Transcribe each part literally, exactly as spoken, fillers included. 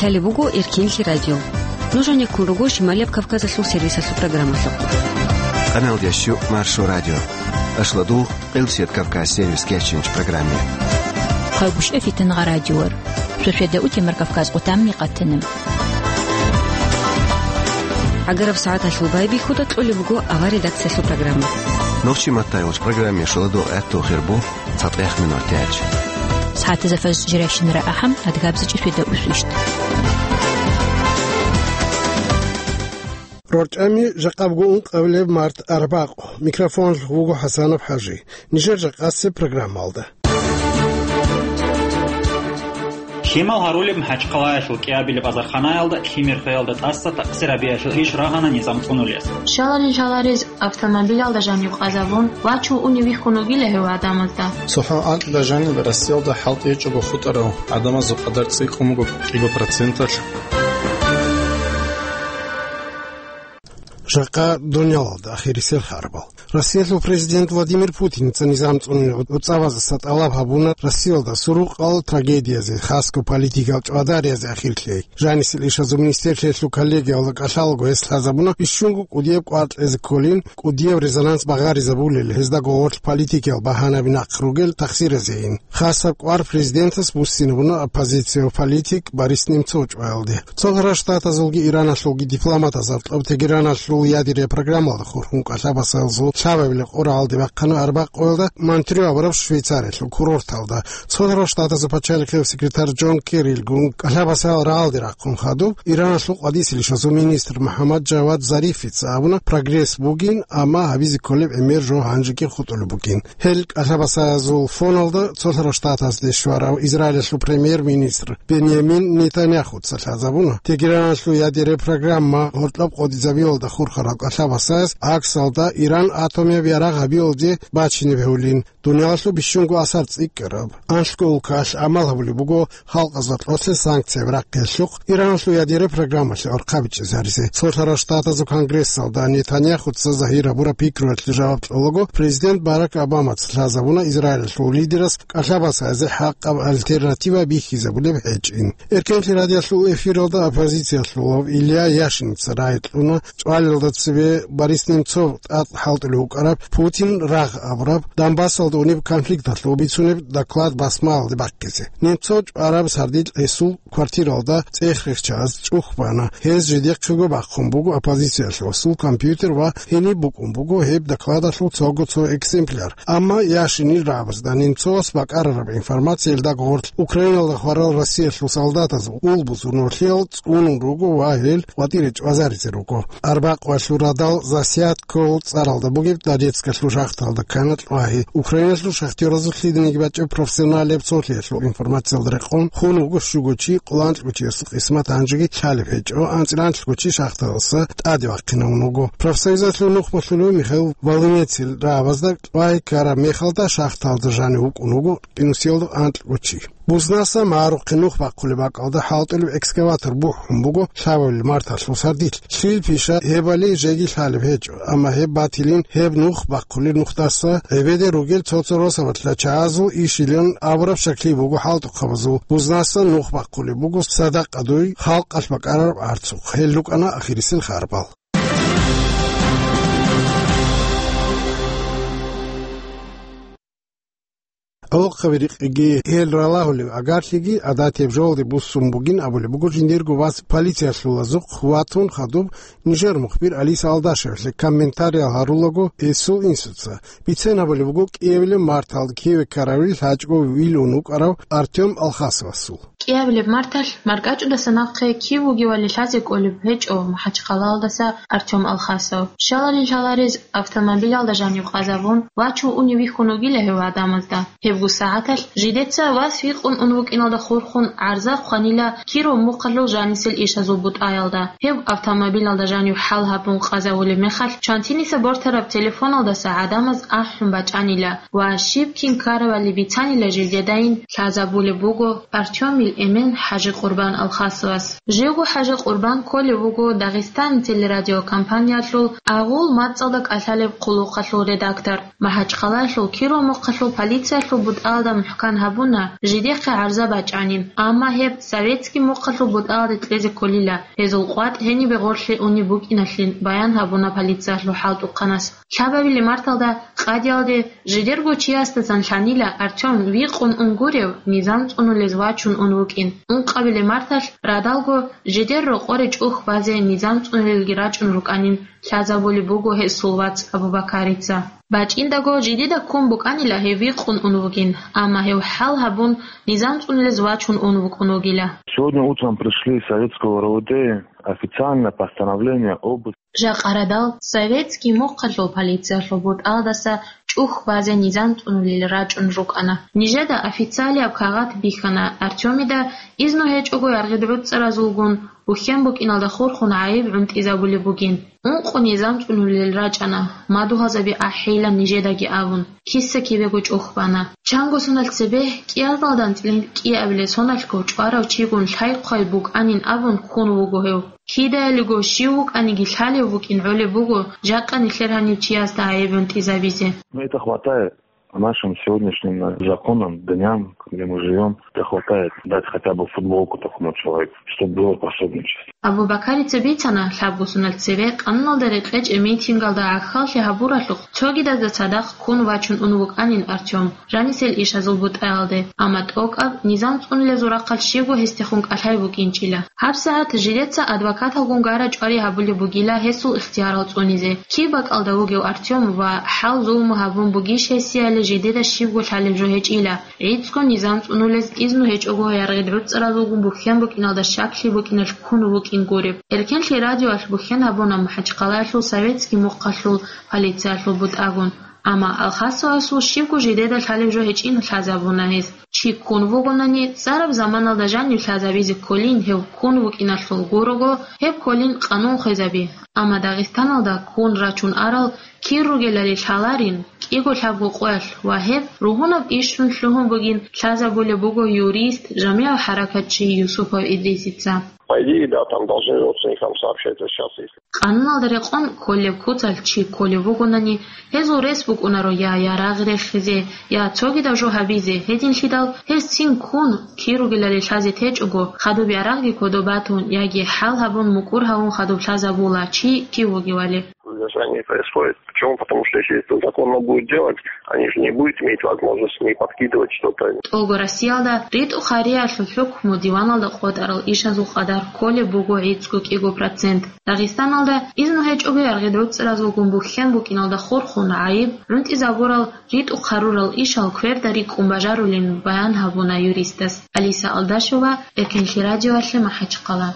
Лъалеб буго Эркенлъи радио. Нуж гьанеккун руго Шималияб Кавказалъул сервисалъул программалъухъ. Къаналдияс щу Маршо радио. Ашладул Къилсият Кавказ сервис кечинч программе. Хъалгушев Фитангъа радиор. Суседа утемар Кавказ къутамми къатана. Агараб сагӀаталъул байбихьуда кьолеб буго авар редакциялъул программа. Нохчи маттайгъуч программе шаладул гӀатту хирбу. ЦатӀех минут тяч. СагӀатазда фаз жирайщинара ахӀам, адгабзичӀи светда усвищт. РорчӀами жакъабго ункъабилеб март арбакъ. Микрофон вуго ХӀасанов ХӀажи. Нижер жакъасеб программалда. Лъимал гьарулеб МахӀачхъалаялъул кӀиабилеб азарханаялда лъимер хвеялда тӀаса такъсир гьабиялъул иш рагьана низам цӀунулес. Щалалил лъаларез автомобилялда жанив къазабун, вачун унев вихьун вугила гьев гӀадамазда. ЦохӀо анкьида жаниб Россиялда хӀалтӀи гьечӀого хутӀарав гӀадамазул къадар цӀикӀкӀун буго кӀиго проценталъ. Жакъа дуниялалда ахирисел харбал. Россиялъул президент Владимир Путиница низам цӀунунеб гӀуцӀабазаса тӀалаб гьабуна Россиялда сурукъал трагедиязе, хасго политикал чӀвадариязде ахирлъи. Жанисел ишазул министрлъиялъул коллегиялда кӀалъалаго гьес лъазабуна бищунго кӀудияб кӀвар кьезе кколин, кӀудияб резонанс багъаризабулел, гьездаго гъорлъ политикиял багьанаби нахъ ругел тахсиразейин. Хасаб кӀвар президентас буссинабуна оппозициялъул политик Борис Немцов чӀваялде. Цолъарал Штатазулги Ираналъулги дипломатаз гьоркьоб Тегераналъул ядерия программалда хурхун кӀалъабасаялъул лъабабилеб къоралде бахъана арбакъоялда Монтрео абураб Швейцариялъул курорталда. Цолъарал Штатазул пачалихъияв секретарь Джон Керрилгун кӀалъабасаял рагӀалде рахъун хадуб, Ираналъул къвадисел ишазул министр МухӀаммад Джавад Зарифица абуна, прогресс бугин, амма гьабизе кколеб гӀемер жо гьанжеги хутӀулеб бугин. Гьел кӀалъабасаязул фоналда Цолъарал Штатазде щварав Израилалъул премьер-министр Беньямин Нетаньяхуца лъазабуна, Тегераналъул ядерия программа гьоркьоб къотӀизабиялда хурхарал кӀалъабасаяс гӀаксалда Иран атомияб ярагъ гьабиялде бачине бегьулин, дуниялалъул бищунго асар цӀикӀкӀараб. Анлъго улкаялъ гӀамал гьабулеб буго халкъазда кьолъе санкцияб рахъиялъухъ Ираналъул ядерия программалъе орхъабичӀезаризе. Цолъарал Штатазул Конгрессалда Нетаньяхуца загьир гьабураб пикруялъе жаваб кьолаго, президент Барак Обамаца лъазабуна Израилалъул лидерас кӀалъабасаязе хӀакъаб альтернатива бихьизабулеб гьечӀин. Эркенлъи радиоялъул эфиралда оппозициялъулав Илья Яшиница рагӀи кьуна, чӀвалелда цебе Борис Немцов тӀад хӀалтӀулев вукӀараб, Путин рагъ абураб, Донбассалда унеб конфликталъул бицунеб доклад басмаялде бахъизе. Немцов чӀвараб сардилъ гьесул квартиралда цӀех рихчаз чӀух бана. Гьез жидехъего бахъун буго оппозициялъул компьютер ва гьениб букӀун буго гьеб докладалъул цого цо экземпляр. Амма Яшинил рагӀабазда Немцовас бакӀарараб информациялда гъорлъ Украиналда хварал Россиялъул солдатаз ул бузун нурлъиял цӀунун руго ва гьел къватӀире чӀвазаризе руго. Арбакъвалъул радал Засядкол цӀаралда бугеб Донецкалъул шахталда ккана кьвагьи. Украиналъул шахтёразул лъиданиги бачӀеб профессионалияб цолъиялъул информациялда рекъон, хун вуго щуго чи, къоло анлъго чиясул къисмат гьанжеги лъалеб гьечӀо, анцӀила анлъго чи шахталдаса тӀаде вахъинавун вуго. Профсоюзалъул нухмалъулев Михаил Волынецил рагӀабазда кьвагьи ккараб мехалда шахталда жанив вукӀун вуго къинусиялда анлъго чи. Бузнаса магӀарухъе нух бахъулеб бакӀалда хӀалтӀулеб экскаватор бухӀун буго лъабабилеб марталъул сардилъ. Лъил пиша гьебали жеги лъалеб гьечӀо, амма гьеб батилин гьеб нух бахъулел нухдаса гӀебеде ругел цо-цо росабалъа чагӀазул ишилан абураб щаклъи буго хӀалтӀухъабазул. Бузнаса нух бахъулеб буго садакъадуй халкъалъ бакӀарараб арцухъ. Гьел рукӀана ахирисел харбал. Гьолохъаби рикъиги гьел ралагьулев агарлъиги гӀадатияб жоялде буссун бугин абулеб буго жиндирго вас полициялъулазухъ ватун хадуб нижер мухбир Алиса Алдашевлъе комментариял гьарулаго гьесул инсуца. Бицен гьабулеб буго кӀиабилеб марталда киве ккарабил лъачӀого вилун вукӀарав Артём Алхасовасул. КӀиабилеб марталъ маркӀачӀудаса нахъе кив вугевали лъазе кӀолеб гьечӀо МахӀачхъалаялдаса Артём Алхасов. Щалалил лъаларез автомобилялда жанив къазабун, вачун унев вихьун вугила гьев гӀадамазда. Гьебго сагӀаталъ жидеца вас вихъун ун вукӀиналда хурхун гӀарза хъванила Киров мухъалъул жанисел ишазул бутӀаялда. Гьев автомобилялда жанив хӀал гьабун къазавулеб мехалъ, чантиниса бортараб телефоналдаса гӀадамаз ахӀун бачӀанила ва щиб кин ккаравали бицанила жидедайин лъазабулеб буго Артёмил эмен ХӀажи Къурбан Алхасовас. Живго ХӀажи Къурбан кколев вуго Дагъистан телерадиокомпаниялъул агъул мацӀалда кӀалъалеб хъулухъалъул редактор. МахӀачхъалаялъул Киров мухъалъул полициялъул бутӀалда мухӀкан гьабуна, жидехъе гӀарза бачӀанин, амма гьеб советский мухъалъул бутӀалде кьезе кколила, гьезул къватӀ гьенибе гъорлъе унеб букӀиналъин баян гьабуна полициялъул хӀалтӀухъанас. Лъабабилеб марталда къадиялде жидерго чиясдасан лъанила Артём викъун ун гурев, низам цӀунулез вачун ун вукӀин. Ункъабилеб марталъ радалго жидер рокъоре чӀухь базе низам цӀунулелги рачӀун рукӀанин лъазабулеб буго гьесул вац Абубакарица. БачӀиндаго жидеда ккун букӀанила гьев викъун ун вугин, амма гьев хӀал гьабун, низам цӀунулез вачун ун вукӀун вугила. Сегодня утром пришли из советского РОВД официально постановление об Жакъа радал советский мухъалъул полициялъул бутӀалдаса чӀухь базе низам цӀунулел рачӀун рукӀана. Нижеда официалияб кагъат бихьана Артёмида изну гьечӀого яргъид гӀуцӀаразулгун бухьен букӀиналда хурхун гӀайиб гӀунтӀизабулеб бугин. Ункъо низам цӀунулел рачӀана, мадугьалзаби ахӀейилан нижедаги абун, киса-кибего чӀухь бана. Чанго соналъ цебе кӀиабилеб данделъ кӀиабилеб соналъго чӀварав чигун лъай-хъвай букӀанин абун ккун вуго гьев. Кидаялиго щив вукӀаниги лъалев вукӀин гӀолеб буго, жакъа нилъер гьанив чиясда гӀайиб гӀунтӀизабизе. Ну, это хватает. По нашим сегодняшним, э, законам, дням, где мы живём, это хватает дать хотя бы футболку такому человеку, чтобы было пособничество. Абубакарица бицана, лъабго соналъ цебе къануналда рекъечӀеб митингалда гӀахьаллъи гьабуралъухъ цогидазда цадахъ ккун вачун ун вукӀанин Артём. Жанисел ишазул бутӀаялде, амма тӀокӀаб низам цӀунулезул рахъалъ щибго гьесдехун кӀалъай букӀинчӀила. ГьабсагӀат жидеца адвокаталгун гара-чӀвари гьабулеб бугила гьесул ихтиярал цӀунизе, киб бакӀалда вугев Артём ва хӀал-зулму гьабун бугищ гьесияле жидеда щибго лъалеб жо гьечӀила, гӀицӀго низам цӀунулез изну гьечӀого яргъид гӀуцӀаразулгун бухьен букӀиналда щаклъи букӀиналъ ккун вукӀин гуреб. Эркенлъи радиоялъ бухьен гьабуна МахӀачхъалаялъул советский мухъалъул полициялъул бутӀагун. Амма Алхасовасул щибго жидеда лъалеб жо гьечӀин лъазабуна гьез. Чи ккун вугонани, цӀараб заманалда жанив лъазабизе кколин гьев ккун вукӀиналъул гурого, гьеб кколин къанун хвезаби. Амма Дагъистаналда ккун рачун арал кир ругелали лъаларин, кӀиго-лъабго къоялъ ва гьеб ругьунаб ишрун лъугьун бугин лъазабулеб буго юрист, жамигӀал хӀаракатчи Юсупов Идрисица. По идее, да, там должны родственникам сообщать, вот сейчас, если Къануналда рекъон кколеб куцалъ чи кколев вугонани, гьезул рес букӀунаро я ярагъ рехизе, я цогидаб жо гьабизе, гьединлъидал гьез цин ккун, кир ругелали лъазе течӀого, хадуб ярагъги кодоб батун яги хӀал гьабун мукӀур гьавун хадуб лъазабула чи кив вугевали. Задержание происходит. Почему? Потому что если это законно будет делать, они же не будут иметь возможность не подкидывать что-то. ТӀолго Россиялда ритӀухъ гьариялъул хӀукму диваналда къотӀарал ишазул къадар кколеб буго гӀицӀго-кӀиго процент. Дагъистаналда изну гьечӀого яргъид гӀуцӀразулгун бухьен букӀиналда хурхун гӀайиб гӀунтӀизабурал, ритӀухъ гьарурал ишал кверда рикӀкӀун бажарулин баян гьабуна юристас. Алиса Алдашева, Эркенлъи радиоялъе, МахӀачхъала.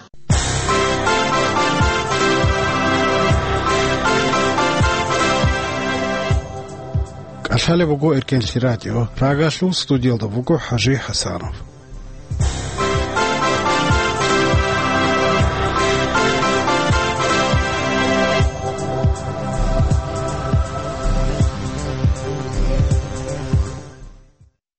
КӀалъалеб буго Эркенлъи радио. Прагалъул студиялда буго ХӀажи ХӀасанов.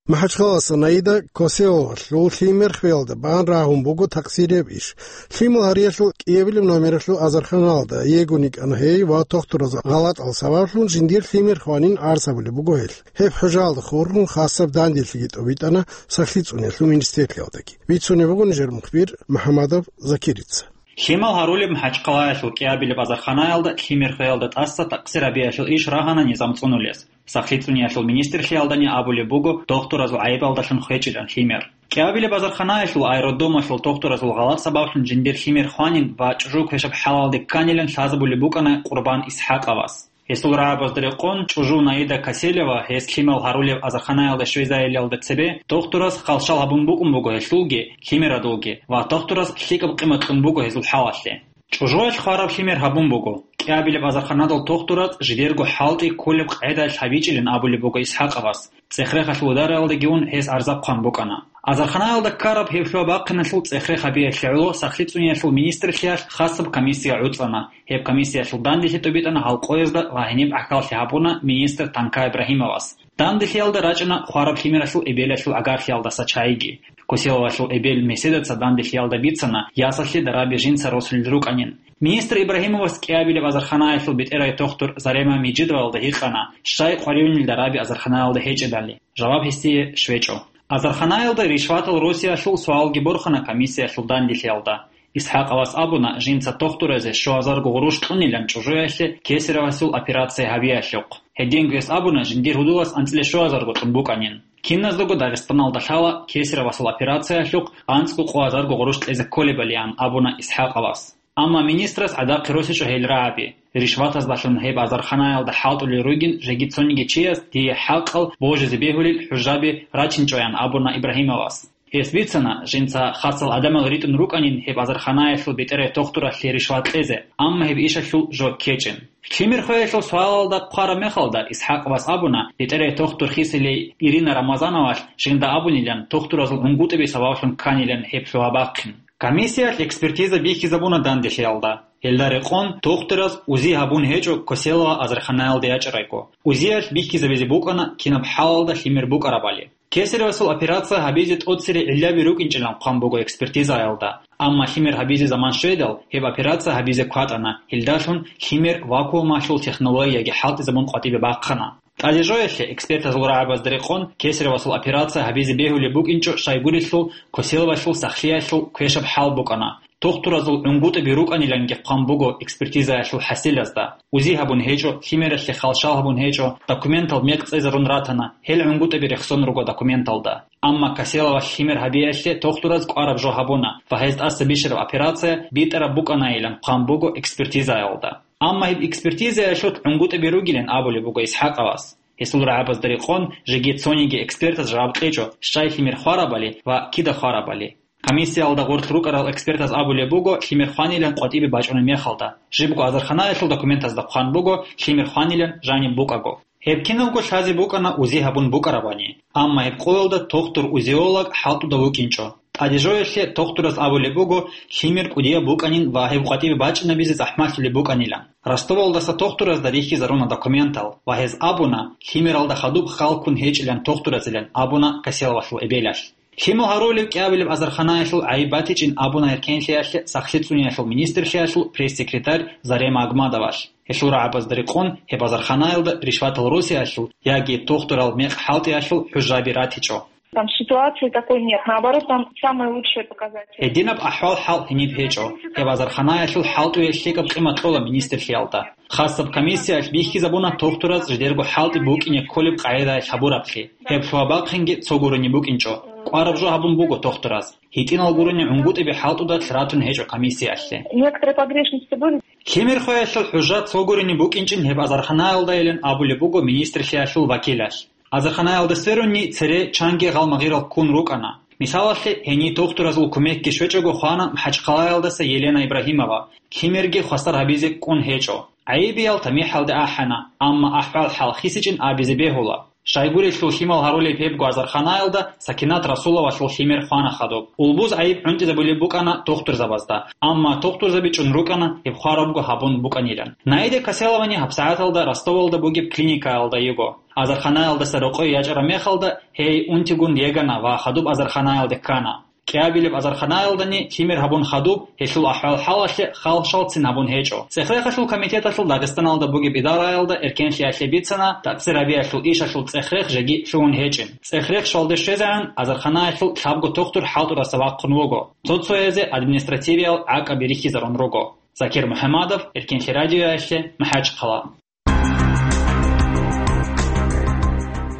МахӀачхъаласа Наида Коселовалъул лъимер хвеялда бан рагьун буго такъсирияб иш. Лъимал гьариялъул кӀиабилеб номералъул азарханалда йигун йикӀана гьей ва тохтураз гъалатӀал сабаблъун жиндир лъимер хванин гӀарз гьабулеб буго гьел. Гьеб хӀужаалда хурхун хасаб данделъиги тӀобитӀана сахлъи цӀуниялъул министрлъиялдаги. Бицунеб буго нижер мухбир МухӀамадов Закирица. Лъимал гьарулеб МахӀачхъалаялъул кӀиабилеб азарханаялда лъимер хвеялда тӀаса такъсир гьабиялъул иш рагьана низам цӀунулес. Сахлъи цӀуниялъул министрлъиялдани абулеб буго тохтуразул гӀайибалдалъун хвечӀилан лъимер. КӀиабилеб азарханаялъул аэродромалъул тохтуразул гъалатӀ сабаблъун жиндир лъимер хванин ва чӀужу квешаб хӀалалде кканилан лъазабулеб букӀана Къурбан ИсхӀакъовас. Гьесул рагӀабазда рекъон чӀужу Наида Каселева гьес лъимал гьарулеб азарханаялда щвезайилалда цебе тохтурас халщал гьабун букӀун буго гьелъулги, лъимерадулги ва тохтурас лъикӀаб къимат кьун буго гьезул хӀалалъе. ЧӀужуялъ хвараб лъимер гьабун буго. КӀиабилеб азарханадал тохтураз жидерго хӀалтӀи кколеб къагӀидаялъ гьабичӀилин абулеб буго ИсхӀакъовас. ЦӀехрехалъул удараялдаги ун гьес гӀарза хъван букӀана. Азарханаялда ккараб гьеб лъугьа-бахъиналъул цӀехрех гьабиялъе гӀоло Сахлъи цӀуниялъул министрлъиялъ хасаб комиссия гӀуцӀана. Гьеб комиссиялъул данделъи тӀобитӀана гьал къоязда ва гьениб гӀахьаллъи гьабуна министр Танка Ибрагьимовас. Данделъиялда рачӀана хвараб лъимералъул эбелалъул агарлъиялдаса чагӀиги. Коселовалъул эбел Меседаца данделъиялда бицана, ясалъе дараби жинца росулел рукӀанин. Министр Ибрагьимовас кӀиабилеб азарханаялъул бетӀерай тохтур Зарема Мижидовалда гьикъана, щай къваригӀунел дараби азарханаялда гьечӀебали. Жаваб гьесие щвечӀо. Азарханаялда ришватал росиялъул суалги борхана комиссиялъул данделъиялда. ИсхӀакъовас абуна, жинца тохтуразе щуазарго гъурущ кьунилан чӀужуялъе Кесаревасул операция гьабиялъухъ. Гьединго гьес абуна, жиндир гьудулас анцӀила щуазарго кьун букӀанин. Киназдаго Дагъистаналда лъала Кесаревасул операциялъухъ анцӀго къоазарго гъурущ кьезе кколебалиан, абуна ИсхӀакъовас. Амма министрас гӀадахъе росичӀо гьел рагӀаби. Ришватаздалъун гьеб азарханаялда хӀалтӀулел ругин жеги цониги чияс дие хӀакъал божизе бегьулел хӀужаби рачинчӀоян абуна Ибрагьимовас. Гьес бицана, жинца хасал гӀадамал ритӀун рукӀанин гьеб азарханаялъул бетӀерай тохтуралъе ришват кьезе, амма гьеб ишалъул жо ккечӀин. Лъимер хвеялъул суалалда хъвараб мехалда, ИсхӀакъовас абуна, бетӀерай тохтур хисилей Ирина Рамазановалъ жинда абунилан тохтуразул гӀунгутӀаби сабаблъун кканилан гьеб лъугьа-бахъин. Комиссиялъ экспертиза бихьизабуна данделъиялда. Гьелда рекъон тохтураз узи гьабун гьечӀо Коселова азарханаялда ячӀарайго. Узиялъ бихьизабизе букӀана кинаб хӀалалда лъимер букӀарабали. Кесаревасул операция гьабизе тӀоцере гӀиллаби рукӀинчӀилан хъван буго экспертизаялда, амма лъимер гьабизе заман щведал, гьеб операция гьабизе кватӀана, гьелдалъун лъимер вакуумалъул технологияги хӀалтӀизабун къватӀибе бахъана. ТӀадежоялъе экспертазул рагӀабазда рекъон Кесаревасул операция гьабизе бегьулеб букӀинчӀо щайгурелъул Коселовалъул сахлъиялъул квешаб хӀал букӀана. Тохтуразул гӀунгутӀаби рукӀаниланги хъван буго экспертизаялъул хӀасилазда. Узи гьабун гьечӀо, лъимералъе халщал гьабун гьечӀо, документал мекъ цӀезарун ратана, гьел гӀунгутӀаби рехсон руго документалда. Амма Коселовалъ лъимер гьабиялъе тохтураз кӀвараб жо гьабуна ва гьез тӀаса бищараб операция битӀараб букӀанайилан хъван буго экспертизаялда. Амма гьеб экспертизаялъулъ гӀунгутӀаби ругилан абулеб буго ИсхӀакъовас. Гьесул рагӀабазда рекъон жеги цониги экспертаз жаваб кьечӀо, щай лъимер хварабали ва кида хварабали. Комиссиялда гъорлъ рукӀарал экспертаз абулеб буго лъимер хванилан къватӀибе бачӀунеб мехалда. Жибго азарханаялъул документазда хъван буго лъимер хванилан жаниб букӀаго. Гьеб кинабго лъазе букӀана узи гьабун букӀарабани, амма гьеб къоялда тохтур-узиолог хӀалтӀуда вукӀинчӀо. ТӀадежоялъе тохтураз абулеб буго лъимер кӀудияб букӀанин ва гьеб къватӀибе бачӀинабизе захӀмалъулеб букӀанилан. Ростовалдаса тохтуразда рихьизаруна документал ва гьез абуна, лъимералда хадуб хал ккун гьечӀилан тохтуразилан абуна Коселовалъул эбелалъ. Лъимал гьарулеб кӀиабилеб азарханаялъул гӀайиб батичӀин абуна эркенлъиялъе сахлъи цӀуниялъул министрлъиялъул пресс-секретарь Зарема Агмадовалъ. Гьелъул рагӀабазда рекъон гьеб азарханаялда ришватал росиялъул яги тохтурал мекъ хӀалтӀиялъул хӀужаби ратичӀо. Там ситуации такой нет. Наоборот, там самые лучшие показатели. Гьединаб ахӀвал-хӀал гьениб гьечӀо. Гьеб азарханаялъул хӀалтӀуе лъикӀаб къимат кьола министрлъиялда. Хасаб комиссиялъ бихьизабуна тохтураз жидерго хӀалтӀи букӀине кколеб къагӀидаялъ гьабураблъи. Гьеб лъугьа-бахъинги цогурин букӀинчӀо. КӀвараб жо гьабун буго тохтураз. ГьитӀинал гурони гӀунгутӀиби хӀалтӀудалъ ратун гьечӀо комиссиялъе. Некоторые погрешности были. Лъимер хвеялъул хӀужа цогурин букӀинчӀин гьеб азарханаялдайилан абулеб буго министрлъиялъул вакилалъ. Азарханаялда сверунни цере чанги гъалмагъирал ккун рукӀана. Мисалалъе, гьенир тохтуразул кумекги щвечӀого хвана МахӀачхъалаялдаса Елена Ибрагьимова, лъимерги хвасар гьабизе кӀун гьечӀо. ГӀайибиял тамихӀалде ахӀана, амма ахӀвал-хӀал хисичӀин абизе бегьула. Щайгурелъул лъимал гьарулеб гьебго азарханаялда Сакинат Расуловалъул лъимер хвана хадуб. Улбуз гӀайиб гӀунтӀизабулеб букӀана тохтурзабазда, амма тохтурзаби чӀун рукӀана гьеб хварабго гьабун букӀанилан. Наида Каселовани гьабсагӀаталда Ростовалда бугеб клиникаялда йиго. Азарханаялдаса рокъой ячӀараб мехалда, гьей унтигун йегана ва хадуб азарханаялде ккана. КӀиабилеб азарханаялдани лъимер гьабун хадуб, гьелъул ахӀвал-хӀалалъе халщалцин гьабун гьечӀо. ЦӀехрехалъул комитеталъул Дагъистаналда бугеб идараялда эркенлъиялъе бицана, такъсир гьабиялъул ишалъул цӀехрех жеги лъугьун гьечӀин. ЦӀехрех щвалде щвезегӀан азарханаялъул лъабго тохтур хӀалтӀудаса вахъун вуго. Цо-цоязе административиял гӀакъаби рихьизарун руго. Закир МухӀамадов, Эркенлъи радиоялъе, МахӀачхъала.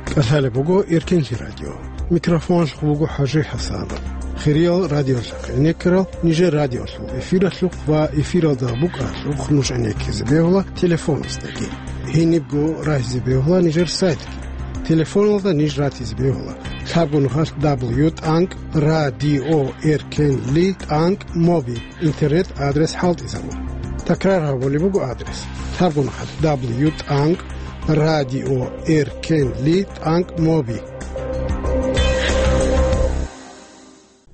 КӀалъалеб буго Эркенлъи радио. Микрофоналъухъ буго ХӀажи ХӀасанов. Хириял радиолъахъ гӀенеккарал нижер радиолъул эфиралъухъ ва эфиралда букӀаралъухъ нуж гӀенеккизе бегьула телефоназдаги. Гьенибго рагьизе бегьула нижер сайтги. Телефоналда ниж ратизе бегьула: лъабго нухалъ дабл ю тӀанкӀ радио эркенли тӀанкӀ моби. Интернет-адрес хӀалтӀизабун. Такрар гьабулеб буго адрес: лъабго нухалъ дабл ю тӀанкӀ радио эркенли тӀанкӀ моби.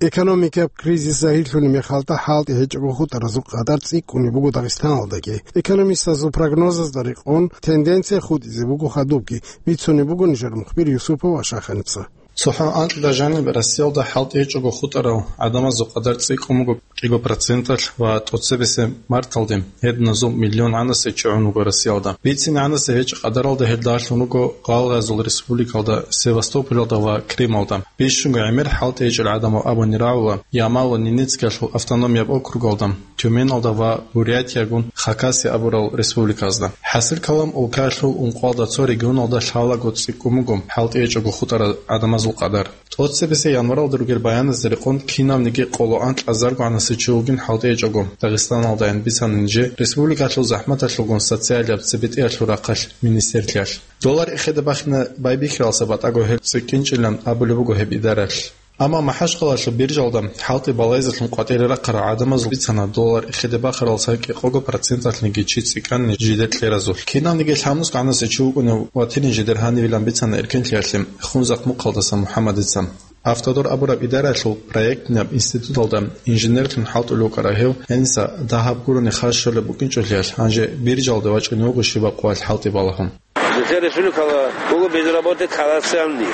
Экономикаб кризис загьирлъулеб мехалда хӀалтӀи гьечӀого хутӀаразул къадар цӀикӀкӀунеб буго Дагъистаналдаги. Экономистазул прогнозазда рекъон, тенденция хутӀизе буго хадубги, бицунеб буго нижер мухбир Юсупов Ашаханца. ЦохӀо анкьида жаниб Россиялда хӀалтӀи гьечӀого хутӀарал гӀадамазул къадар цӀикӀкӀун буго кӀиго проценталъ ва тӀоцебесеб марталде гьединазул миллион гӀанасечи гӀун вуго Россиялда. Бицин гӀанасе гьечӀеб къадаралда гьел дагьлъун руго гъалгъазул республикалда Севастополалда ва Крымалда. Бищунго гӀемер хӀалтӀи гьечӀел гӀадамал абуни рагӀула Ямал-Ненецкиялъул автономияб округалда, Тюменалда ва Бурятиягун Хакасия абурал республиказда. ХӀасил калам, улкаялъул ункъоялда цо регионалда лъалаго цӀикӀкӀун буго хӀалтӀи гьечӀого хутӀарал гӀадамазул къадар. ТӀоцебесеб январалда ругел баяназда рекъон кинавниги къоло анкьазарго гӀанасев чи вугин хӀалтӀи гьечӀого. Дагъистаналдайин бицана нижер республикалъул захӀматалъулгун социалияб цебетӀеялъул рахъалъ министрлъиялъ. Доллар эхеде бахине байбихьаралдаса батӀаго гьел цӀикӀкӀинчӀилан абулеб буго гьеб идаралъ. Амма МахӀачхъалаялъул биржалда хӀалтӀи балайзелъун къватӀире рахъарал гӀадамазул бицана доллар эхеде бахаралдаса кӀикъого проценталъниги чи цӀикӀкӀанин жидер кьеразулъ. Кинавниги лъабнусго гӀанасев чи вукӀунев ватилин жидер гьанивилан бицана эркенлъиялъе Хунзахъ-Мухъалдаса МухӀаммадица. Автодор абураб идараялъул проектнаб институталда инженерлъун хӀалтӀулев вукӀарав гьев гьениса дагьаб гурони харж щолеб букӀинчӀолъиялъ, гьанже биржалде вачӀунев вуго щибаб къоялъ хӀалтӀи балагьун. Нилъер республикала буго безработный колоссальный.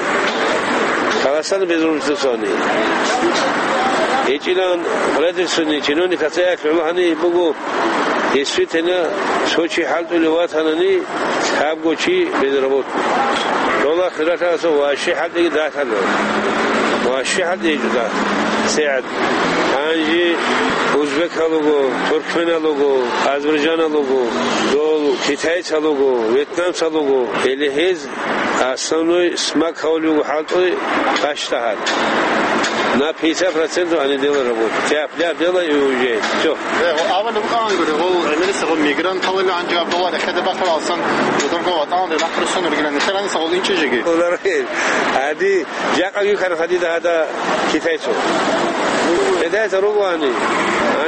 Колоссальный безработный. ГьечӀилан правительственный чиновник ацаялъ гӀоло гьаниб буго, действительно, цо чи хӀалтӀулев ватанани, лъабго чи безработный. Дола хиралъаса ващи хӀалтӀиги датана. Ващи хӀалтӀи гьечӀо дат. СигӀат. Гьанже узбекал руго, туркменал руго, азербайджанал руго, дол китайцал руго, вьетнамцал руго, или гьез основной смак гьавулев вуго хӀалтӀи бащдагьал. На пятьдесят процентов они делают работу. Тяп-ляп делай и уезжай. Всё. Э, гъо-, авал букӀан гури, гъол гӀемериса гъол мигранталали гьанже Абдулла рехеде бахъал алсан, жодорго ватӀан рахъ русон ригилан. Нилъер гьаниса гъол инчӀежеги. Олар гьади Жакъа вихьана гьадида гьада китайцо. Китайца ругоани.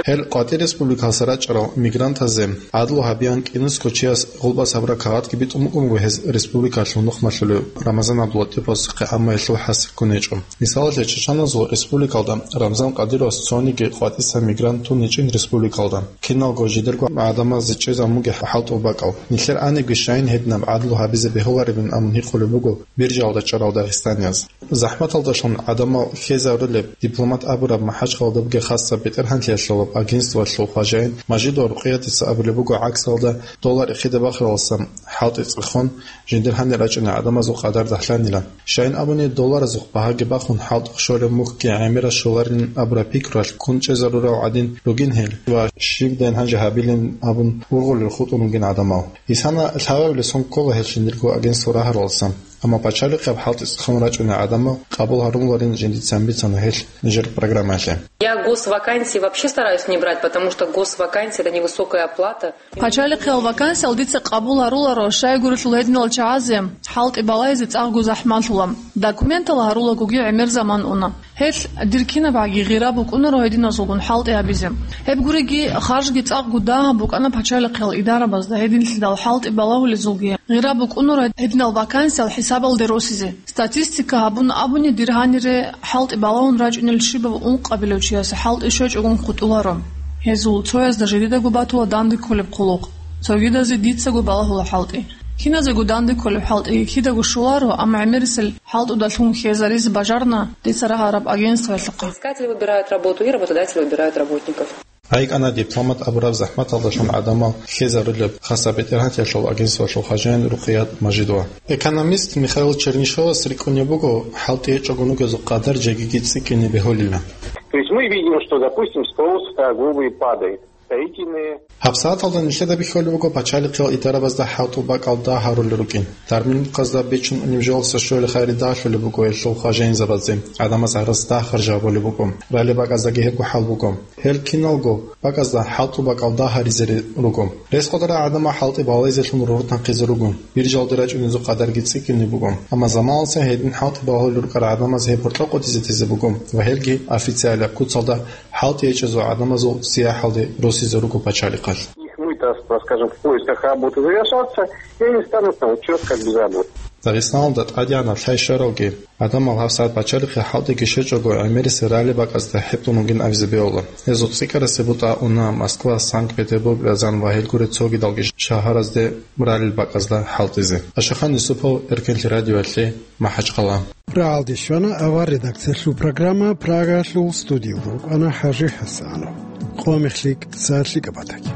Гьел къватӀир республикалса рачӀарал мигрантазе гӀадлу гьабиян кӀинусго чияс гъулбас гьабураб кагъатги битӀун букӀун буго гьез республикалъул нухмалъулев Рамазан ГӀабдуллатӀиповасухъе, амма гьелъул хӀасил ккун гьечӀо. Мисалалъе, Чачаназул республикалда Рамзан Къадировас цониги къватӀиса мигрант тун гьечӀин республикалда. Киналго жидерго гӀадамазе чӀезабун бугеб хӀалтӀул бакӀал. Нилъер анибги щайин гьединаб гӀадлу гьабизе бегьуларебин абун гьикъулеб буго биржалда чӀарал дагъистанияз. ЗахӀматалдалъун гӀадамал хьезарулеб дипломат абураб МахӀачхъалада бугеб хасаб бетӀергьанлъиялъулаб агентствоялъул хважаин Мажидова Рукъиятица абулеб буго, гӀаксалда доллар эхеде бахаралдаса хӀалтӀи цӀехун, жиндир гьанир рачӀунел гӀадамазул къадар дагьлъанила. Щайин абуни, долларазухъ багьаги бахун, хӀалтӀухъ щолеб мухьги гӀемерас щоларин абураб пикруялъ ккун чӀезарурал гӀадин ругин гьел ва щибдайин гьанже гьабилин абун ургъулел хутӀун ругин гӀадамал. Исана лъабабилеб сон ккола гьел жиндирго агентство рагьаралдаса, амма пачалихъияб хӀалтӀи цӀехун рачӀунел гӀадамал къабул гьаруларин жиндицин бицана гьел нижер программаялъе. Я госвакансии вообще стараюсь не брать, потому что госвакансия — это невысокая оплата. Пачалихъиял вакансиял дица къабул гьаруларо, щайгурелъул гьединал чагӀазе хӀалтӀи балайзе цӀакъго захӀмалъула. Документал гьарулагоги гӀемер заман уна. Гьелъ дир кинабгӀаги гъира букӀунаро гьединазулгун хӀалтӀи гьабизе. Гьеб гуриги, харжги цӀакъго дагьаб букӀана пачалихъиял идарабазда гьединлъидал хӀалтӀи балагьулезулги гъира букӀунаро гьединал вакансиял хӀисабалде росизе. Статистика гьабун абуни, дир гьанире хӀалтӀи балагьун рачӀунел щибав ункъабилев чиясе хӀалтӀи щвечӀогун хутӀуларо. Гьезул цоязда жидедаго батула данде кколеб хъулухъ. Цогидазе дицаго балагьула хӀалтӀи. Киназего данде кколеб хӀалтӀиги кидаго щоларо, амма гӀемерисел хӀалтӀудалъун хьезаризе бажарна дица рагьараб агентствоялъухъе. Искатели выбирают работу и работодатели выбирают работников. ГӀайикӀана дипломат абураб захӀматалдалъун гӀадамал хьезарулеб хасаб бетӀергьанлъиялъул агентствоялъул хважаин Рукъият Мажидова. Экономист Михаил Чернышовас рикӀкӀунеб буго хӀалтӀи гьечӀогун ругезул къадар жегиги цӀикӀкӀине бегьулила. То есть мы видим, что, допустим, спрос торговый падает. Строительные ГьабсагӀаталда нилъеда бихьулеб буго пачалихъиял идарабазда хӀалтӀул бакӀал дагь гьарулел рукӀин. Дармилмухъазда бичун унеб жоялдаса щвелеб хайри дагьлъулеб буго гьелъул хважаинзабазде, гӀадамаз гьараз дагь харжабулеб буго. Ралли бакӀаздаги гьебго хӀал буго. Гьел киналго бакӀазда хӀалтӀул бакӀал дагь гьаризе руго. Рес къватӀарал гӀадамал хӀалтӀи балайзелъун рорт нахъизе руго. Биржалде рачӀунезул къадарги цӀикӀкӀине буго. Амма заманалъе гьедин хӀалтӀи балагьулел рукӀарал гӀадамаз гьеб гьоркьоб къотӀизе тезе буго ва гьелги официалияб куцалда хӀалтӀи гьечӀезул гӀадамазул сияхӀалде росизе руго пачалихъалъ. Их мытарство, скажем, в поисках работы завершатся, и они станут на учёт как безработные. Дагъистаналда тӀадегӀанаб лъай щваралги, гӀадамал гьабсагӀат бачарихъе хӀалтӀиги щвечӀого гӀемерисел ралли бакӀазда хӀетӀун вугин абизе бегьула. Гьезул цӀикӀкӀарасеб бутӀа уна Москва, Санкт-Петербург, Рязань ва гьел гуреб цогидалги шагьаразде ралли бакӀазда хӀалтӀизе. Ашахан Юсупов, Эркенлъи радиоялъе, МахӀачхъала. РагӀалде щвана авар редакциялъул программа, Прагаялъул студиялда вукӀана ХӀажи ХӀасанов. Къо мехлъи, цалъи кӀабатаги.